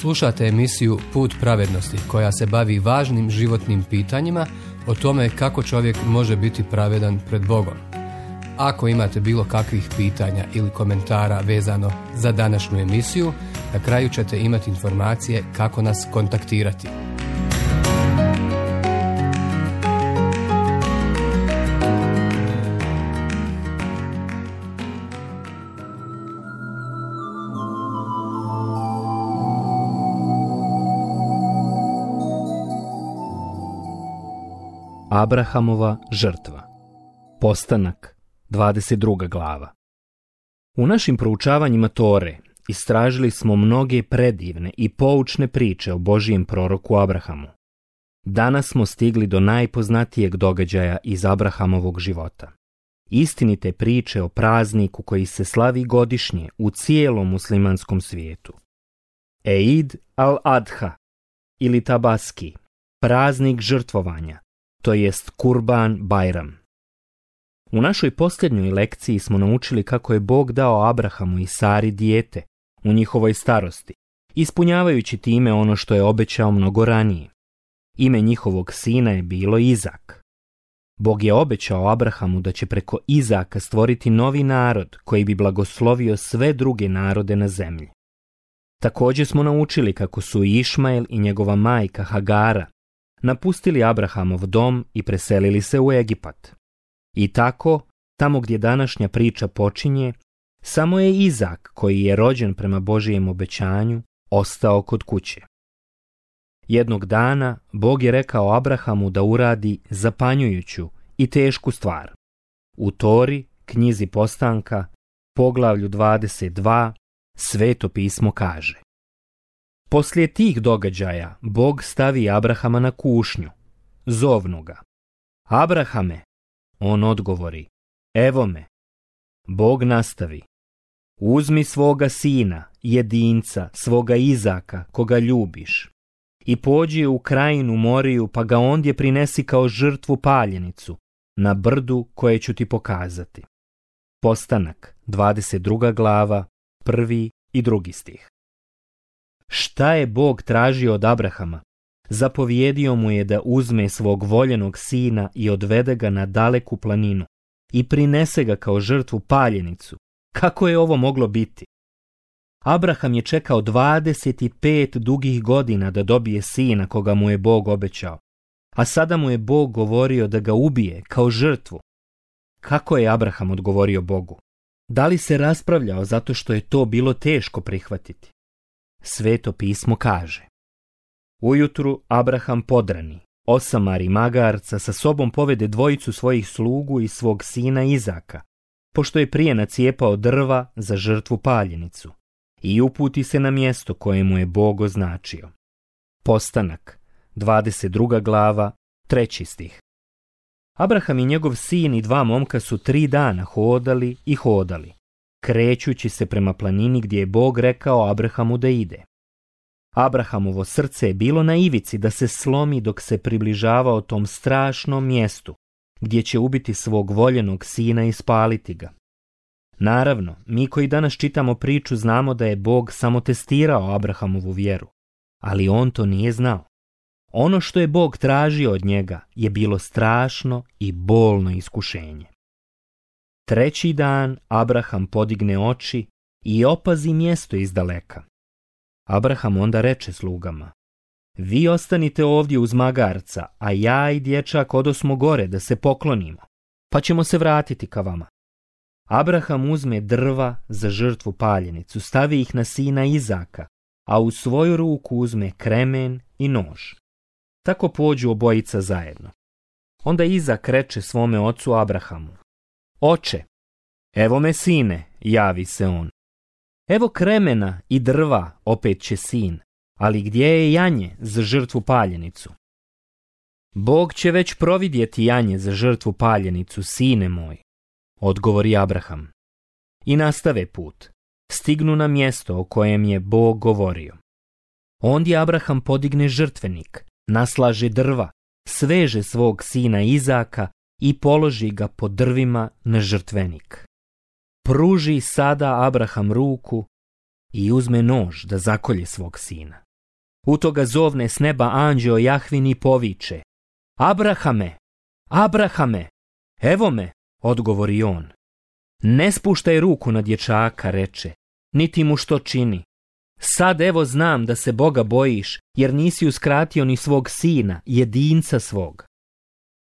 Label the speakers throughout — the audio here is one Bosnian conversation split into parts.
Speaker 1: Slušate emisiju Put pravednosti koja se bavi važnim životnim pitanjima o tome kako čovjek može biti pravedan pred Bogom. Ako imate bilo kakvih pitanja ili komentara vezano za današnju emisiju, na kraju ćete imati informacije kako nas kontaktirati.
Speaker 2: Abrahamova žrtva. Postanak, 22. glava. U našim proučavanjima Tore istražili smo mnoge predivne i poučne priče o Božijem proroku Abrahamu. Danas smo stigli do najpoznatijeg događaja iz Abrahamovog života. Istinite priče o prazniku koji se slavi godišnje u cijelom muslimanskom svijetu. Eid al-Adha ili Tabaski, praznik žrtvovanja, to jest Kurban Bajram. U našoj posljednjoj lekciji smo naučili kako je Bog dao Abrahamu i Sari dijete u njihovoj starosti, ispunjavajući time ono što je obećao mnogo ranije. Ime njihovog sina je bilo Izak. Bog je obećao Abrahamu da će preko Izaka stvoriti novi narod koji bi blagoslovio sve druge narode na zemlji. Također smo naučili kako su Išmael i njegova majka Hagara napustili Abrahamov dom i preselili se u Egipat. I tako, tamo gdje današnja priča počinje, samo je Izak, koji je rođen prema Božijem obećanju, ostao kod kuće. Jednog dana Bog je rekao Abrahamu da uradi zapanjujuću i tešku stvar. U Tori, knjizi Postanka, poglavlju 22, Sveto pismo kaže: Poslije tih događaja Bog stavi Abrahama na kušnju, zovnu ga: Abrahame. On odgovori: Evo me. Bog nastavi: Uzmi svoga sina, jedinca, svoga Izaka, koga ljubiš, i pođi u krajinu Moriju, pa ga ondje prinesi kao žrtvu paljenicu, na brdu koje ću ti pokazati. Postanak, 22. glava, 1. i 2. stih. Šta je Bog tražio od Abrahama? Zapovjedio mu je da uzme svog voljenog sina i odvede ga na daleku planinu i prinese ga kao žrtvu paljenicu. Kako je ovo moglo biti? Abraham je čekao 25 dugih godina da dobije sina koga mu je Bog obećao, a sada mu je Bog govorio da ga ubije kao žrtvu. Kako je Abraham odgovorio Bogu? Da li se raspravljao zato što je to bilo teško prihvatiti? Sveto pismo kaže: Ujutru Abraham podrani, osamari magarca, sa sobom povede dvojicu svojih slugu i svog sina Izaka, pošto je prije nacijepao drva za žrtvu paljenicu, i uputi se na mjesto koje mu je Bog označio. Postanak, 22. glava, 3. stih. Abraham i njegov sin i 2 momka su 3 dana hodali i hodali, krećući se prema planini gdje je Bog rekao Abrahamu da ide. Abrahamovo srce je bilo na ivici da se slomi dok se približavao tom strašnom mjestu gdje će ubiti svog voljenog sina i spaliti ga. Naravno, mi koji danas čitamo priču znamo da je Bog samo testirao Abrahamovu vjeru, ali on to nije znao. Ono što je Bog tražio od njega je bilo strašno i bolno iskušenje. 3. dan Abraham podigne oči i opazi mjesto izdaleka. Abraham onda reče slugama: Vi ostanite ovdje uz magarca, a ja i dječak odosmo gore da se poklonimo, pa ćemo se vratiti ka vama. Abraham uzme drva za žrtvu paljenicu, stavi ih na sina Izaka, a u svoju ruku uzme kremen i nož. Tako pođu obojica zajedno. Onda Izak reče svome ocu Abrahamu: Oče, evo me sine, javi se on. Evo kremena i drva, opet će sin, ali gdje je janje za žrtvu paljenicu? Bog će već providjeti janje za žrtvu paljenicu, sine moj, odgovori Abraham. I nastave put. Stignu na mjesto o kojem je Bog govorio. Ondje Abraham podigne žrtvenik, naslaže drva, sveže svog sina Izaka i položi ga po drvima na žrtvenik. Pruži sada Abraham ruku i uzme nož da zakolje svog sina. U toga zovne s neba anđeo Jahvin i poviče: Abrahame, Abrahame! Evo me, odgovori on. Ne spuštaj ruku na dječaka, reče, niti mu što čini. Sad evo znam da se Boga bojiš, jer nisi uskratio ni svog sina, jedinca svog.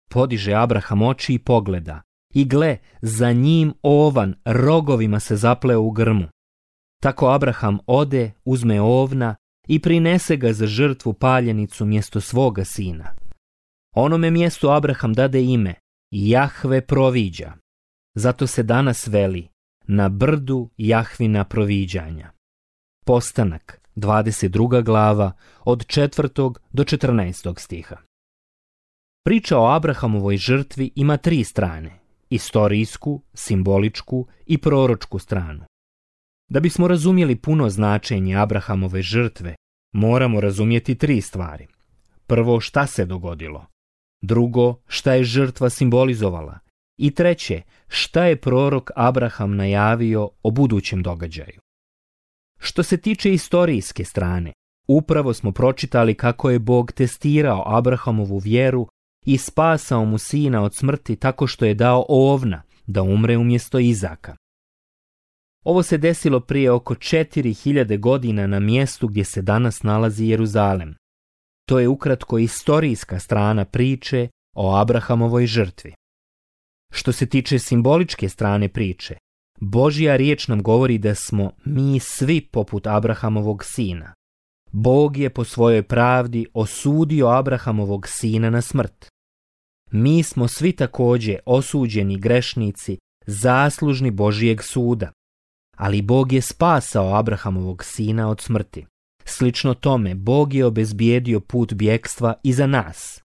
Speaker 2: Podiže Abraham oči i pogleda, i gle, za njim ovan rogovima se zapleo u grmu. Tako Abraham ode, uzme ovna i prinese ga za žrtvu paljenicu mjesto svoga sina. Onome mjestu Abraham dade ime Jahve proviđa. Zato se danas veli na brdu Jahvina proviđanja. Postanak, 22. glava, od 4. do 14. stiha. Priča o Abrahamovoj žrtvi ima 3 strane: istorijsku, simboličku i proročku stranu. Da bismo razumjeli puno značenje Abrahamove žrtve, moramo razumjeti 3 stvari. Prvo, šta se dogodilo. Drugo, šta je žrtva simbolizovala. I treće, šta je prorok Abraham najavio o budućem događaju. Što se tiče istorijske strane, upravo smo pročitali kako je Bog testirao Abrahamovu vjeru i spasao mu sina od smrti tako što je dao ovna da umre umjesto Izaka. Ovo se desilo prije oko 4000 godina na mjestu gdje se danas nalazi Jeruzalem. To je ukratko istorijska strana priče o Abrahamovoj žrtvi. Što se tiče simboličke strane priče, Božja riječ nam govori da smo mi svi poput Abrahamovog sina. Bog je po svojoj pravdi osudio Abrahamovog sina na smrt. Mi smo svi također osuđeni grešnici, zaslužni Božijeg suda. Ali Bog je spasao Abrahamovog sina od smrti. Slično tome, Bog je obezbijedio put bjekstva i za nas.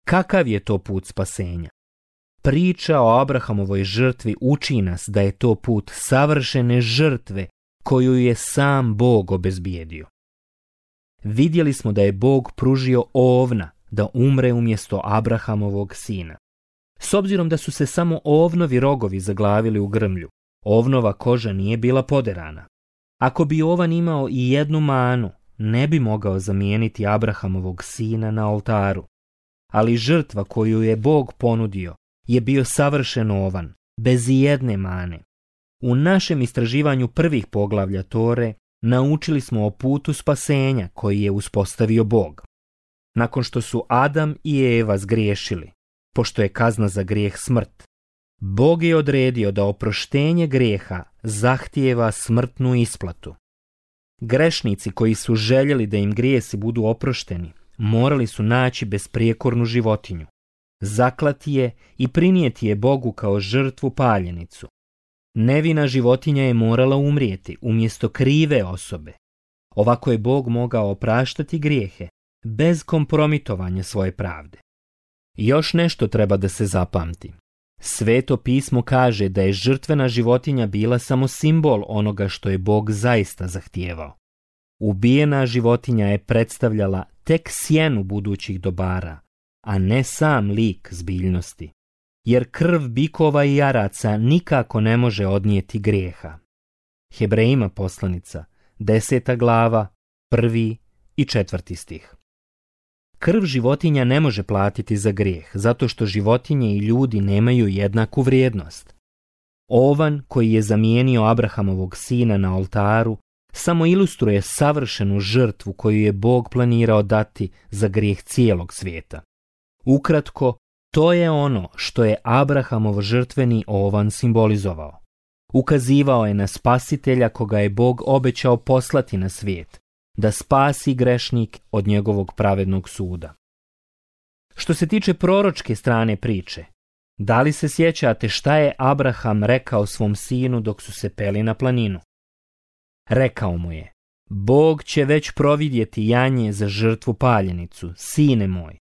Speaker 2: Kakav je to put spasenja? Priča o Abrahamovoj žrtvi uči nas da je to put savršene žrtve koju je sam Bog obezbijedio. Vidjeli smo da je Bog pružio ovna da umre umjesto Abrahamovog sina. S obzirom da su se samo ovnovi rogovi zaglavili u grmlju, ovnova koža nije bila poderana. Ako bi ovan imao i jednu manu, ne bi mogao zamijeniti Abrahamovog sina na oltaru. Ali žrtva koju je Bog ponudio je bio savršen ovan, bez ijedne mane. U našem istraživanju prvih poglavlja Tore naučili smo o putu spasenja koji je uspostavio Bog. Nakon što su Adam i Eva zgriješili, pošto je kazna za grijeh smrt, Bog je odredio da oproštenje grijeha zahtijeva smrtnu isplatu. Grešnici koji su željeli da im grijesi budu oprošteni, morali su naći besprijekornu životinju, zaklati je i prinijeti je Bogu kao žrtvu paljenicu. Nevina životinja je morala umrijeti umjesto krive osobe. Ovako je Bog mogao opraštati grijehe bez kompromitovanja svoje pravde. Još nešto treba da se zapamti. Sveto pismo kaže da je žrtvena životinja bila samo simbol onoga što je Bog zaista zahtijevao. Ubijena životinja je predstavljala tek sjenu budućih dobara, a ne sam lik zbiljnosti, jer krv bikova i jaraca nikako ne može odnijeti grijeha. Hebrejima poslanica, 10. glava, 1. i 4. stih. Krv životinja ne može platiti za grijeh, zato što životinje i ljudi nemaju jednaku vrijednost. Ovan koji je zamijenio Abrahamovog sina na oltaru samo ilustruje savršenu žrtvu koju je Bog planirao dati za grijeh cijelog svijeta. Ukratko, to je ono što je Abrahamov žrtveni ovan simbolizovao. Ukazivao je na spasitelja koga je Bog obećao poslati na svijet, da spasi grešnik od njegovog pravednog suda. Što se tiče proročke strane priče, da li se sjećate šta je Abraham rekao svom sinu dok su se peli na planinu? Rekao mu je: Bog će već providjeti janje za žrtvu paljenicu, sine moj.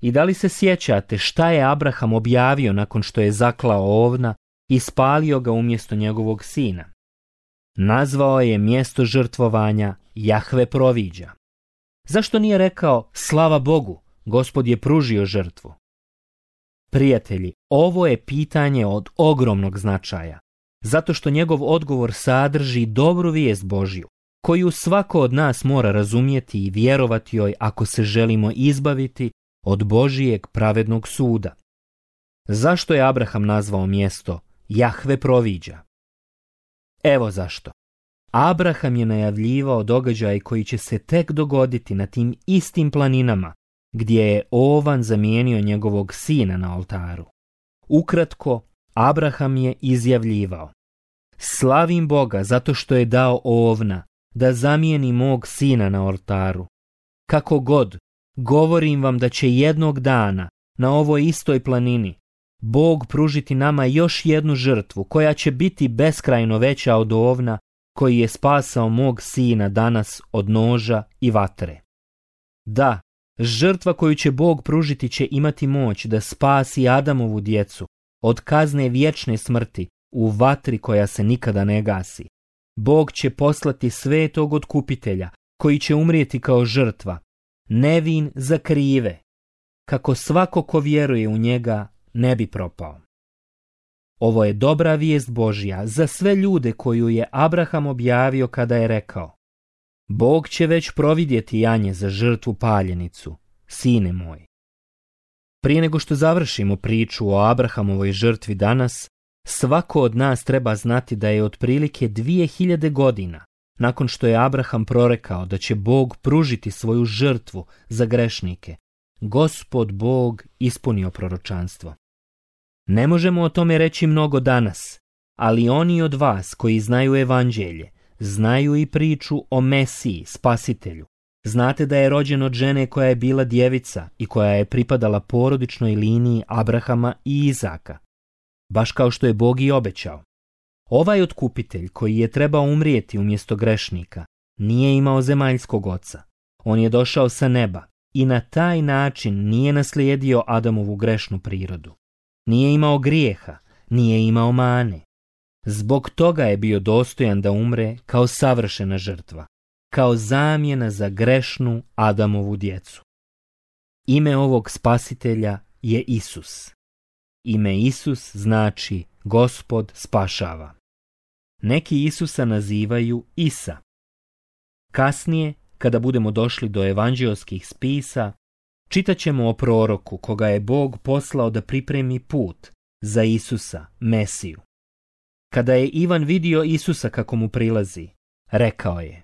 Speaker 2: I da li se sjećate šta je Abraham objavio nakon što je zaklao ovna i spalio ga umjesto njegovog sina? Nazvao je mjesto žrtvovanja Jahve proviđa. Zašto nije rekao slava Bogu, Gospod je pružio žrtvu? Prijatelji, ovo je pitanje od ogromnog značaja, zato što njegov odgovor sadrži dobru vijest Božju, koju svako od nas mora razumjeti i vjerovati joj ako se želimo izbaviti od Božijeg pravednog suda. Zašto je Abraham nazvao mjesto Jahve proviđa? Evo zašto. Abraham je najavljivao događaj koji će se tek dogoditi na tim istim planinama gdje je ovan zamijenio njegovog sina na oltaru. Ukratko, Abraham je izjavljivao: slavim Boga zato što je dao ovna da zamijeni mog sina na oltaru. Kako god, govorim vam da će jednog dana na ovoj istoj planini Bog pružiti nama još jednu žrtvu koja će biti beskrajno veća od ovna koji je spasao mog sina danas od noža i vatre. Da, žrtva koju će Bog pružiti će imati moć da spasi Adamovu djecu od kazne vječne smrti u vatri koja se nikada ne gasi. Bog će poslati svetog otkupitelja koji će umrijeti kao žrtva, nevin za krive, kako svako ko vjeruje u njega ne bi propao. Ovo je dobra vijest Božja za sve ljude koju je Abraham objavio kada je rekao: Bog će već providjeti janje za žrtvu paljenicu, sine moj. Prije nego što završimo priču o Abrahamovoj žrtvi danas, svako od nas treba znati da je otprilike 2000 godina nakon što je Abraham prorekao da će Bog pružiti svoju žrtvu za grešnike, Gospod Bog ispunio proročanstvo. Ne možemo o tome reći mnogo danas, ali oni od vas koji znaju evanđelje, znaju i priču o Mesiji, spasitelju. Znate da je rođen od žene koja je bila djevica i koja je pripadala porodičnoj liniji Abrahama i Izaka, baš kao što je Bog i obećao. Ovaj otkupitelj koji je trebao umrijeti umjesto grešnika nije imao zemaljskog oca. On je došao sa neba i na taj način nije naslijedio Adamovu grešnu prirodu. Nije imao grijeha, nije imao mane. Zbog toga je bio dostojan da umre kao savršena žrtva, kao zamjena za grešnu Adamovu djecu. Ime ovog spasitelja je Isus. Ime Isus znači Gospod spašava. Neki Isusa nazivaju Isa. Kasnije, kada budemo došli do evanđeoskih spisa, čitat ćemo o proroku koga je Bog poslao da pripremi put za Isusa, Mesiju. Kada je Ivan vidio Isusa kako mu prilazi, rekao je: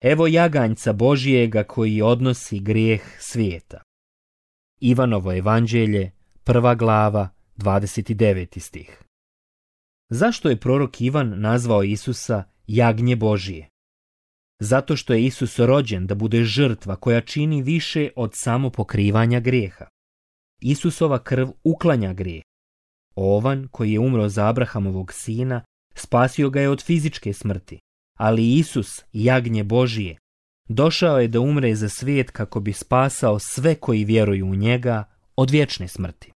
Speaker 2: Evo jaganjca Božijega koji odnosi grijeh svijeta. Ivanovo evanđelje, 1. glava, 29. stih. Zašto je prorok Ivan nazvao Isusa jagnje Božije? Zato što je Isus rođen da bude žrtva koja čini više od samo pokrivanja grijeha. Isusova krv uklanja grijeh. Ovan koji je umro za Abrahamovog sina spasio ga je od fizičke smrti, ali Isus, jagnje Božije, došao je da umre za svijet kako bi spasao sve koji vjeruju u njega od vječne smrti.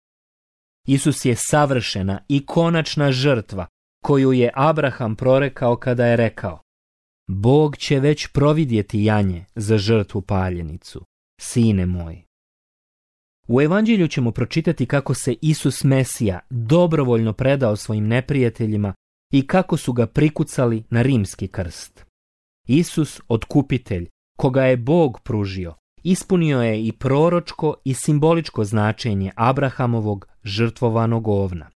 Speaker 2: Isus je savršena i konačna žrtva koju je Abraham prorekao kada je rekao: Bog će već providjeti janje za žrtvu paljenicu, sine moj. U evanđelju ćemo pročitati kako se Isus Mesija dobrovoljno predao svojim neprijateljima i kako su ga prikucali na rimski krst. Isus, otkupitelj, koga je Bog pružio, ispunio je i proročko i simboličko značenje Abrahamovog žrtvovanog ovna.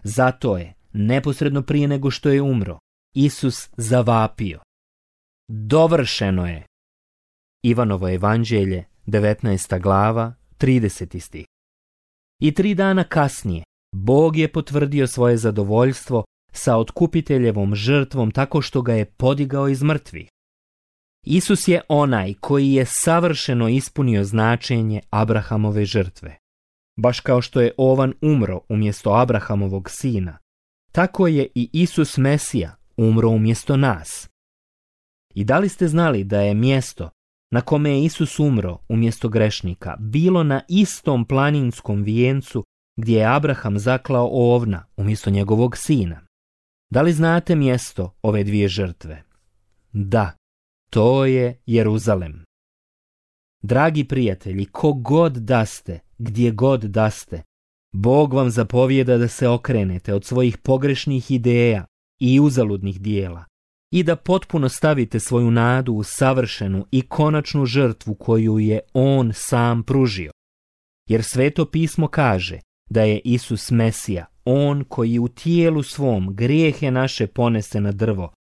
Speaker 2: Zato je, neposredno prije nego što je umro, Isus zavapio: Dovršeno je. Ivanovo evanđelje, 19. glava, 30. stih. I 3 dana kasnije Bog je potvrdio svoje zadovoljstvo sa otkupiteljevom žrtvom tako što ga je podigao iz mrtvih. Isus je onaj koji je savršeno ispunio značenje Abrahamove žrtve. Baš kao što je ovan umro umjesto Abrahamovog sina, tako je i Isus Mesija umro umjesto nas. I da li ste znali da je mjesto na kome je Isus umro umjesto grešnika bilo na istom planinskom vijencu gdje je Abraham zaklao ovna umjesto njegovog sina? Da li znate mjesto ove dvije žrtve? Da, to je Jeruzalem. Dragi prijatelji, kogod da ste, gdje god da ste, Bog vam zapovijeda da se okrenete od svojih pogrešnih ideja i uzaludnih dijela i da potpuno stavite svoju nadu u savršenu i konačnu žrtvu koju je On sam pružio. Jer Sveto pismo kaže da je Isus Mesija, On koji u tijelu svom grijehe naše ponese na drvo,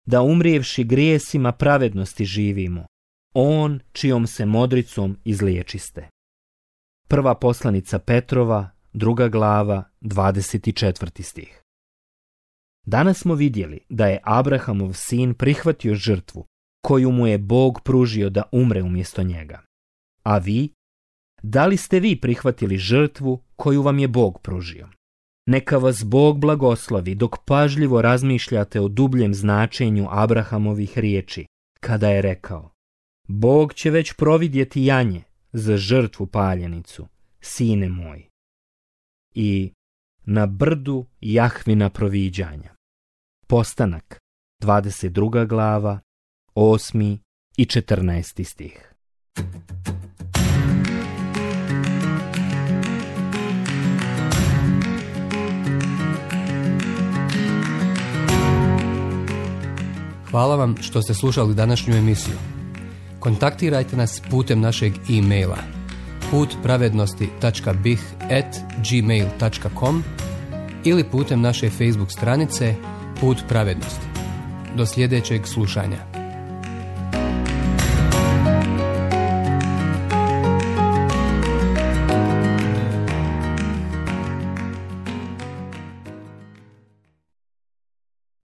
Speaker 2: da umrijevši grijesima pravednosti živimo, On čijom se modricom izliječiste. Prva poslanica Petrova, 2. glava, 24. stih. Danas smo vidjeli da je Abrahamov sin prihvatio žrtvu koju mu je Bog pružio da umre umjesto njega. A vi? Da li ste vi prihvatili žrtvu koju vam je Bog pružio? Neka vas Bog blagoslovi dok pažljivo razmišljate o dubljem značenju Abrahamovih riječi, kada je rekao: Bog će već providjeti janje za žrtvu paljenicu, sine moj. I na brdu Jahvina proviđanja. Postanak, 22. glava, 8. i 14. stih.
Speaker 1: Hvala vam što ste slušali današnju emisiju. Kontaktirajte nas putem našeg e-maila putpravednosti.bih@gmail.com ili putem naše Facebook stranice Put pravednosti. Do sljedećeg slušanja.